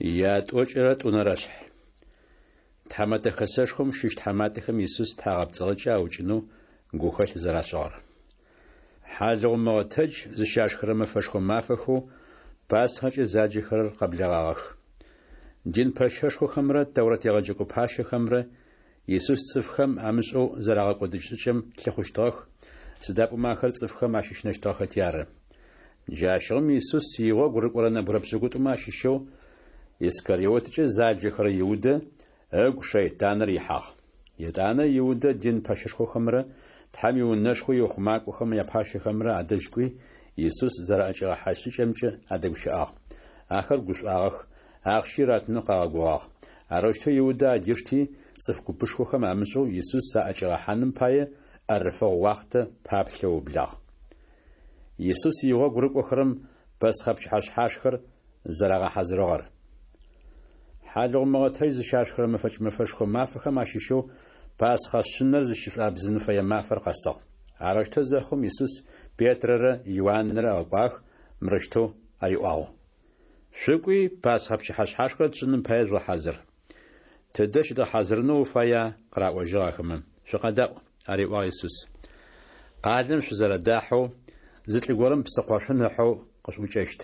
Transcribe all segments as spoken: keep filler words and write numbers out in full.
Ятӏокӏырэ тӏунэрэ шъхь. Тхьамэтэ хэсэшхом щыщ тхьаматэхэм Исус тхьагъэпцӏыгъэкӏэ аукӏынэу гухэлъ зэрашӏыгъэр. Хьалыгъу мыгъэтэдж зыщашхырэ мэфэшхо мафэхэу Пасхэкӏэ заджэхэрэр къэблэгъагъэх. Дин пэщэшхохэмрэ Тэурат егъэджэкӏо пащэхэмрэ Исус цӏыфхэм амышӏэу зэрагъэкӏодыщт шӏыкӏэм лъыхъущтыгъэх, сыда пӏомэ ахэр цӏыфхэм ащыщынэщтыгъэхэти ары. Джащыгъум Исус игъогу рыкӏорэ нэбгырэ пшӏыкӏутӏумэ ащыщэу Искариоткӏэ заджэхэрэ Иудэ ыгу шэйтаныр ихьагъ. Етӏанэ Иудэ дин пэщэшхохэмрэ Тхьэм иунэшхо иухъумакӏохэм япащэхэмрэ адэжь кӏуи, Исус зэраӏэкӏигъэхьащт шӏыкӏэмкӏэ адэгущыӏагъ. Ахэр гушӏуагъэх, ахъщи ратынэу къагъэгугъагъ. Арэущтэу Иудэ адишти, цӏыф купышхохэм амышӏэу Исус аӏэкӏигъэхьаным пае ӏэрыфэгъу уахътэ паплъэу ыублагъ. Исус игъогу рыкӏохэрэм Пэсхъэ пчыхьэшъхьашхэр зэрагъэхьазырыгъэр. Хьалыгъу мыгъэтэдж зыщашхырэ мэфэкӏ мэфэшхо мафэхэм ащыщэу Пасхъэ шъынэр зыщышӏуабзын фэе мафэр къэсыгъ. Арэущтэу зэхъум Исус Петрэрэ Иуанрэ ыгъэкӏуагъэх, мырэущтэу ариӏуагъ: Шъукӏуи, Пасхъэ пчыхьэшъхьашхэр тшӏыным пае жъугъэхьазыр. Тыдэ щыдгъэхьазырынэу уфая? – къыраӏожьыгъ ахэмэ. Шъукъэдаӏу, – ариӏуагъ Исус. Къалэм шъузэрэдахьэу, зы лӏы горэм псы къошын ыхьэу къышъуӏукӏэщт.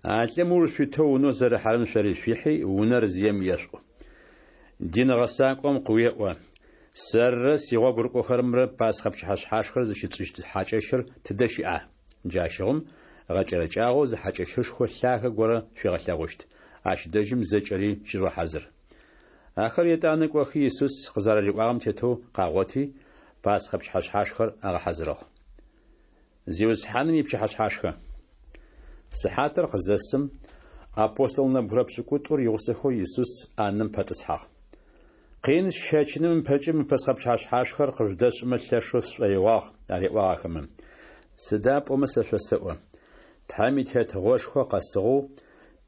А лӏым ыуж шъуитэу унэу зэрыхьэрэм шъори шъуихьи, унэр зием ешъуӏу. Дин гъэсакӏом къыуеӏо: Сэрырэ сигъогу рыкӏохэрэмрэ Пасхъэ пчыхьэшъхьашхэр зыщытшӏыщт хьакӏэщыр тыдэ щыӏа? Джащыгъум гъэкӏэрэкӏагъэу зы хьакӏэщышхо лъагэ горэ шъуигъэлъэгъущт. Ащ дэжьым зэкӏэри щыжъугъэхьазыр. Ахэр етӏанэ кӏохи Исус къызэрариӏуагъэм тетэу къагъоти, Пасхъэ пчыхьэшъхьашхэр агъэхьазырыгъ. Зиусхьаным ипчыхьэшъхьашхэ. Сыхьатыр къызэсым, апостол нэбгырэ пшӏыкӏутӏур игъусэхэу Исус ӏанэм пэтӏысхьагъ. Къин сщэчыным ыпэкӏэ мы Пэсхъэ пчыхьэшъхьашхэр къыжъудэсшӏымэ лъэшэу сшӏоигъуагъ, ариӏуагъ ахэмэ. Сыда пӏомэ сэ шъосэӏо: Тхьэм и Тетыгъошхо къэсыгъэу,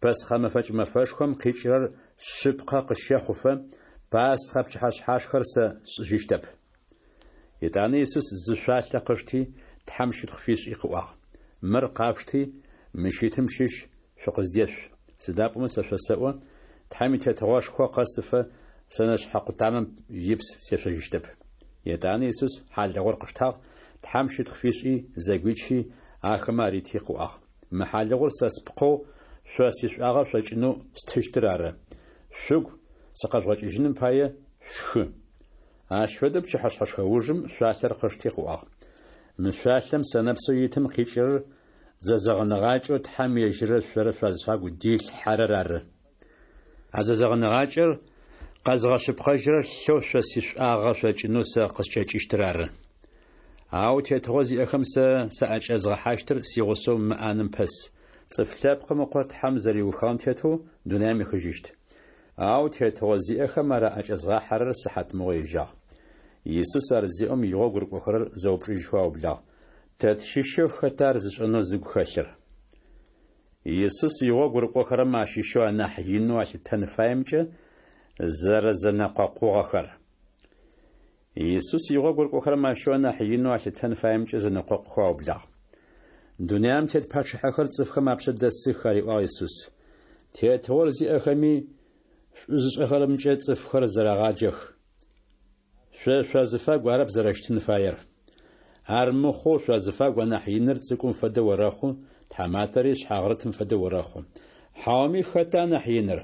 Пэсхъэ мэфэкӏ мэфэшхом къикӏырэр шъыпкъэ къыщэхъуфэ, Пасхъэ пчыхьэшъхьашхэр сэ сшӏыжьыщтэп. Етӏанэ Исус зы шъуалъэ къышти, Тхьэм щытхъу фишӏи къыӏуагъ: Мыр къашъушти, мыщ итым щыщ шъукъыздешъу. Сыда пӏомэ сэ шъосэӏо, Тхьэм и Тетыгъошхо къэсыфэ сэнэшъхьэ къутамэм ипс сешъожьыщтэп. Етӏанэ Исус хьалыгъур къыштагъ, Тхьэм щытхъу фишӏи, зэгуичи, ахэмэ арити къыӏуагъ: Мы хьалыгъур сэ спкъэу шъо сишӏуагъэ шъокӏынэу стыщтыр ары. Шъугу сыкъэжъугъэкӏыжьыным пае шъушхы. Ащ фэдэу пчыхьэшъхьэшхэ ужым шъуалъэр къышти къыӏуагъ: Мы шъуалъэм сэнэпсэу итым къикӏырэр зэзэгъыныгъакӏэу Тхьэм ежьыррэ шъорэ шъуазыфагу дилъхьэрэр ары. А зэзэгъыныгъакӏэр къэзгъэшъыпкъэжьырэр лъэу шъо сишӏуагъэ шъокӏынэу сэ къыскӏэкӏыщтыр ары. Ау тетыгъо зиӏэхэм сэ саӏэкӏэзгъэхьащтыр сигъусэу мы ӏанэм пэс. Цӏыф Лъэпкъым Ыкъо Тхьэм зэриухыгъэм тетэу дунаим ехыжьыщт. Ау тетыгъо зиӏэхэм ар аӏэкӏэзгъахьэрэр сыхьатмыгъо ежьагъ. Исус ар зеӏом игъогу рыкӏохэрэр зэупчӏыжьхэу аублагъ: Тэ тщыщэу хэта ар зышӏэнэу зыгу хэлъыр? Исус игъогу рыкӏохэрэм ащыщэу анахь инэу алъытэн фаемкӏэ зэрэзэнэкъокъугъэхэр. Исус игъогу рыкӏохэрэм ащыщэу анахь инэу алъытэн фаемкӏэ зэнэкъокъухэу аублагъ. Дунаим тет пачъыхьэхэр цӏыфхэм апшъэ дэсых, ариӏуагъ Исус. Тетыгъор зиӏэхэми шӏу зышӏэхэрэмкӏэ цӏыфхэр зэрагъаджэх. Шъо шъуазыфагу арэп зэрэщытын фаер. Ар мыхъоу шъуазыфагу анахь иныр цӏыкӏум фэдэу орэхъу, тхьаматэри шъхьагърытым фэдэу орэхъу. Хьауми хэта анахь иныр?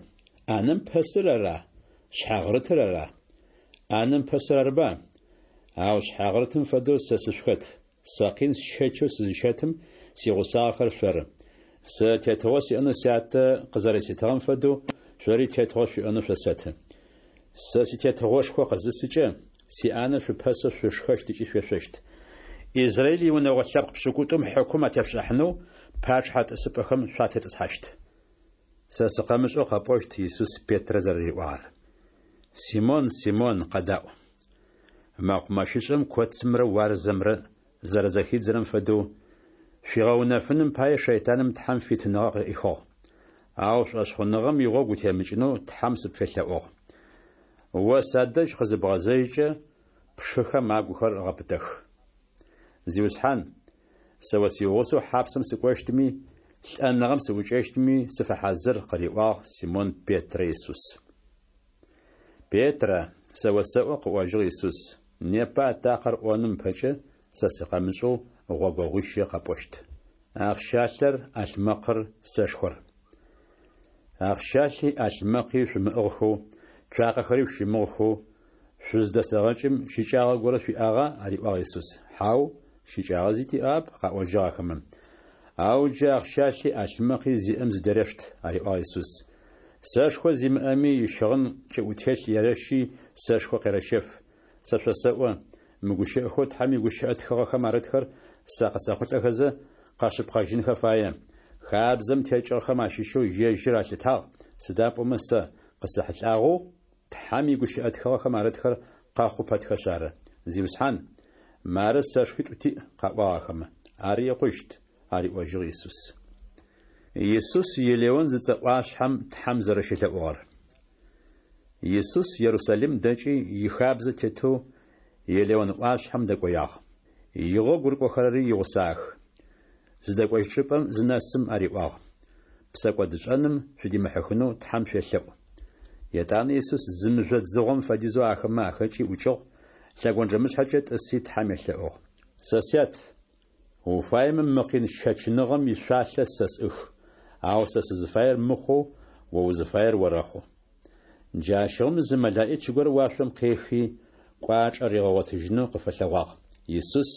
ӏанэм пэсыр ара? Шъхьагърытыр ара? ӏанэм пэсыр арыба? Ау шъхьагърытым фэдэу сэ сышъухэт. Сэ къин сщэчэу сызыщэтым сигъусагъэхэр шъоры. Сэ тетыгъо сиӏэнэу сятэ къызэрэситыгъэм фэдэу шъори тетыгъо шъуиӏэнэу шъосэты. Сэ ситетыгъошхо къызысыкӏэ, сиӏанэ шъупэсэу шъушхэщт ыкӏи шъуешъощт. Израиль иунэгъо лъэпкъ пшӏыкӏутӏум хьыкум атепшӏыхьанэу пачъыхьэ тӏысыпӏэхэм шъуатетӏысхьащт. Сэ сыкъэмышӏэу къэпӏощт Исус Петрэ зэрэриӏуагъэр. Симон, Симон, къэдаӏу. Мэкъумэщышӏэм коцымрэ уарзэмрэ зэрэзэхидзырэм фэдэу, шъуигъэунэфыным пае шэйтаным Тхьэм фитыныгъэ къыӏихыгъ. Ау шӏошъхъуныгъэм игъогу утемыкӏынэу Тхьэм сыпфелъэӏугъ. О садэжь къызыбгъэзэжькӏэ, пшыхэм агухэр гъэпытэх. Зиусхьан, сэ о сигъусэу хьапсым сыкӏощтми, Лӏэныгъэм сыӏукӏэщтми сыфэхьазыр, – къыриӏуагъ Симон Петрэ Исус. Петрэ, сэ осэӏо, – къыӏожьыгъ Исус, – непэ атакъэр ӏоным ыпэкӏэ сэ сыкъэмышӏэу гъогогъуищэ къэпӏощт. Ахъщалъэр, ӏалъмэкъыр, сэшхор. Ахъщалъи ӏалъмэкъи шъумыӏыгъхэу, цуакъэхэри шъущымыгъхэу шъуздэсэгъэкӏым щыкӏагъэ горэ шъуиӏагъа? – ариӏуагъ Исус. Хьау, щыкӏагъэ зи тиӏагъэп, – къаӏожьыгъ ахэмэ. Ау джы ахъщалъи ӏалъмэкъи зиӏэм зыдерешт, – ариӏуагъ Исус. Сэшхо зимыӏэми ищыгъын кӏыӏутелъ ерэщи сэшхо къерэщэф. Сэ шъосэӏо, мы гущыӏэхэу Тхьэм игущыӏэ тхыгъэхэм арытхэр сэ къысэхъулӏэхэзэ къэшъыпкъэжьынхэ фае. Хабзэм текӏыгъэхэм ащыщэу ежьыр алъытагъ, сыда пӏомэ сэ къысэхьылӏагъэу Тхьэм игущыӏэ тхыгъэхэм арытхэр къэхъу пэтхэшъ ары. Зиусхьан, мары сэшхуитӏу тиӏ, – къаӏуагъ ахэмэ. Ар икъущт, – ариӏожьыгъ Исус. Исус Елеон зыцӏэ ӏуашъхьэм Тхьэм зэрэщелъэӏугъэр. Исус Ерусалим дэкӏи ихабзэ тетэу Елеон ӏуашъхьэм дэкӏоягъ. Игъогу рыкӏохэрэри игъусагъэх. Зыдэкӏощт чӏыпӏэм зынэсым ариӏуагъ: Псэкӏодышӏэным шъудимыхьыхынэу Тхьэм шъуелъэӏу. Етӏанэ Исус зы мыжъо дзыгъом фэдизэу ахэмэ ахэкӏи ӏукӏыгъ, лъэгонджэмышъхьэкӏэ тӏыси Тхьэм елъэӏугъ: Сэ Сят, уфаемэ мы къин щэчыныгъэм ишъуалъэ сэ сӏых, ау сэ сызыфаер мыхъоу о узыфаер орэхъу. Джащыгъум зы мэлэӏич горэ уашъом къехи, кӏуачӏэ ригъэгъотыжьынэу къыфэлъэгъуагъ. Исус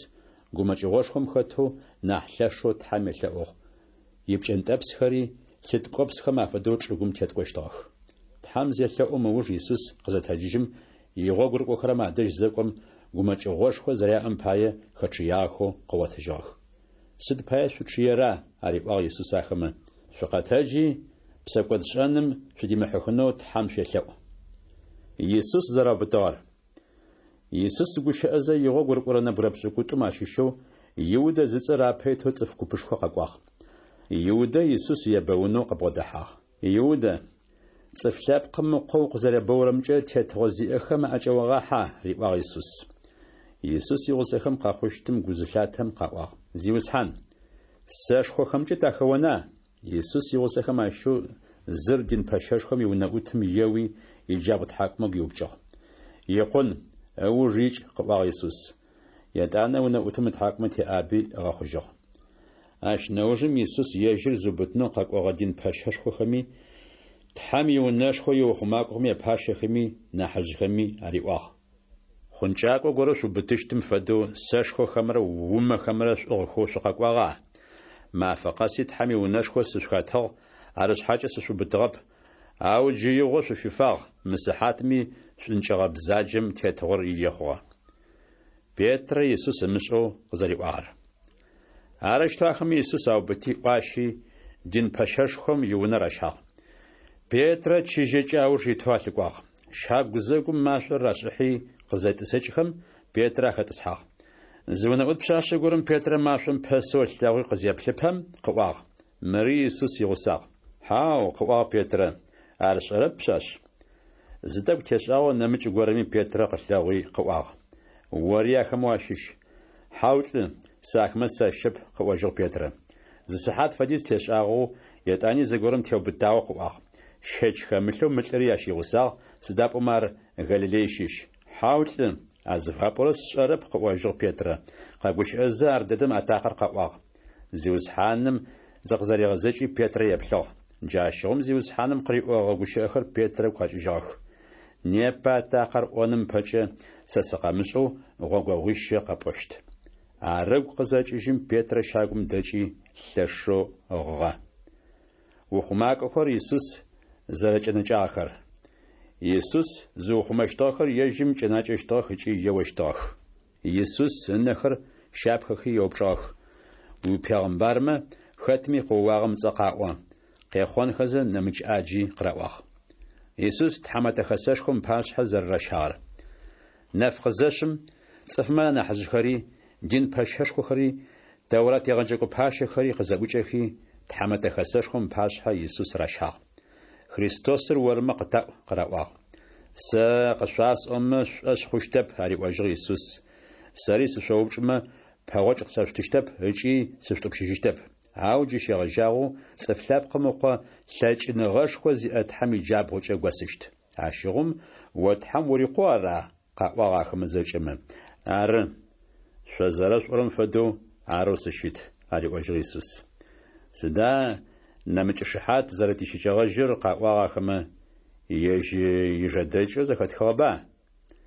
гумэкӏыгъошхом хэтэу нахь лъэшэу Тхьэм елъэӏугъ. Ипкӏэнтӏэпсхэри лъы ткӏопсхэм афэдэу чӏыгум теткӏощтыгъэх. Тхьэм зелъэӏум ыуж Исус къызэтэджыжьым, игъогу рыкӏохэрэм адэжь зэкӏом, гумэкӏыгъошхо зэряӏэм пае хэчъыягъэхэу къыгъотыжьыгъэх. Сыд пае шъучъыера? – ариӏуагъ Исус ахэмэ. Шъукъэтэджи, псэкӏодшӏэным шъудимыхьыхынэу Тхьэм шъуелъэӏу. Исус зэраубытыгъэр. Исус гущыӏэзэ игъогу рыкӏорэ нэбгырэ пшӏыкӏутӏум ащыщэу Иудэ зыцӏэр апэ итэу цӏыф купышхо къэкӏуагъ. Иудэ Исус ебэунэу къыбгъодэхьагъ. Иудэ, Цӏыф Лъэпкъым Ыкъо укъызэребэурэмкӏэ тетыгъо зиӏэхэм аӏэкӏэогъахьа? – риӏуагъ Исус. Исус игъусэхэм къэхъущтым гу зылъатэм къаӏуагъ: Зиусхьан, сэшхохэмкӏэ тахэона? Исус игъусэхэм ащыщэу зыр дин пэщэшхом иунэӏутым еуи, иджабгъу тхьакӏумэ гуиупкӏыгъ. Икъун, ыуж икӏ, – къыӏуагъ Исус. Етӏанэ унэӏутым ытхьакӏумэ теӏаби ыгъэхъужьыгъ. Ащ нэужым Исус ежьыр зыубытынэу къэкӏогъэ дин пэщэшхохэми, Тхьэм иунэшхо иухъумакӏохэм япащэхэми, нахьыжъхэми ариӏуагъ: Хъункӏакӏо горэ шъуубытыщтым фэдэу сэшхохэмрэ умэхэмрэ шъуӏыгъхэу шъукъэкӏуагъа? Мафэ къэси Тхьэм иунэшхо сышъухэтыгъ, арышъхьакӏэ сышъуубытыгъэп. Ау джы игъо шъуфифагъ, мы сыхьатми шӏункӏыгъэ бзаджэм тетыгъор ие хъугъэ. Петрэ Исус ымышӏэу къызэриӏуагъэр. Арэущтэу ахэмэ Исус аубыти ӏуащи, дин пэщэшхом иунэ ращагъ. Петрэ чыжьэкӏэ ауж итэу алъыкӏуагъ. Щагу гузэгум машӏор рашӏыхьи къызетӏысэкӏхэм, Петрэ ахэтӏысхьагъ. Зы унэӏут пшъашъэ горэм Петрэ машӏом пэсэу ылъэгъуи къызеплъыпэм къыӏуагъ: Мыри Исус игъусагъ. Хьау, – къыӏуагъ Петрэ, – ар сшӏэрэп, пшъашъ. Зы тӏэкӏу тешӏагъэу нэмыкӏ горэми Петрэ къылъэгъуи къыӏуагъ: Ори ахэмэ уащыщ. Хьау, лӏы, сэ ахэмэ сащыщэп, – къыӏожьыгъ Петрэ. Зы сыхьат фэдиз тешӏагъэу етӏани зыгорэм теубытагъэу къыӏуагъ: Щэч хэмылъэу мы лӏыри ащ игъусагъ, сыда пӏомэ ар Галилей щыщ. Хьау, лӏы, а зыфапӏорэр сшӏэрэп, – къыӏожьыгъ Петрэ. Къэгущыӏэзэ ардэдэм атакъэр къэӏуагъ. Зиусхьаным зыкъызэригъэзэкӏи Петрэ еплъыгъ. Джащыгъум Зиусхьаным къыриӏогъэ гущыӏэхэр Петрэ ыгу къэкӏыжьыгъэх: Непэ атакъэр ӏоным ыпэкӏэ сэ сыкъэмышӏэу гъогогъуищэ къэпӏощт. Ар ыгу къызэкӏыжьым, Петрэ щагум дэкӏи лъэшэу гъыгъэ. Ухъумакӏохэр Исус зэрэкӏэнэкӏагъэхэр. Исус зыухъумэщтыгъэхэр ежьым кӏэнакӏэщтыгъэх ыкӏи еощтыгъэх. Исус ынэхэр щапхэхи еупчӏыгъэх: Уипегъымбармэ, хэтми къыоуагъэм ыцӏэ къаӏо! Къехъонхэзэ нэмыкӏ ӏаджи къыраӏуагъ. Исус Тхьэмэтэ Хэсэшхом ыпашъхьэ зэрэращагъэр. Нэф къызэшъым, цӏыфмэ анахьыжъхэри, дин пэщэшхохэри, Тэурат егъэджэкӏо пащэхэри къызэӏукӏэхи, Тхьэмэтэ Хэсэшхом ыпашъхьэ Исус ращагъ. Христосыр ормэ къытаӏу, – къыраӏуагъ. Сэ къышъуасӏомэ шъушӏошъ хъущтэп, – ариӏожьыгъ Исус. Сэри сышъоупчӏымэ, пэгъокӏ къысэшъутыщтэп ыкӏи сышъутӏупщыжьыщтэп. Ау джы щегъэжьагъэу Цӏыф Лъэпкъым Ыкъо лъэкӏыныгъэшхо зиӏэ Тхьэм иджабгъукӏэ госыщт. Ащыгъум о Тхьэм ури Къоу ара? къаӏуагъ ахэмэ зэкӏэмэ. Ары, шъо зэрэшъуӏорэм фэдэу, арэу сыщыт, ариӏожьыгъ Исус. Сыда нэмыкӏ шыхьат зэрэтищыкӏэгъэжьыр, къаӏуагъ ахэмэ, ежь ыжэдэкӏэу зэхэтхыгъэба?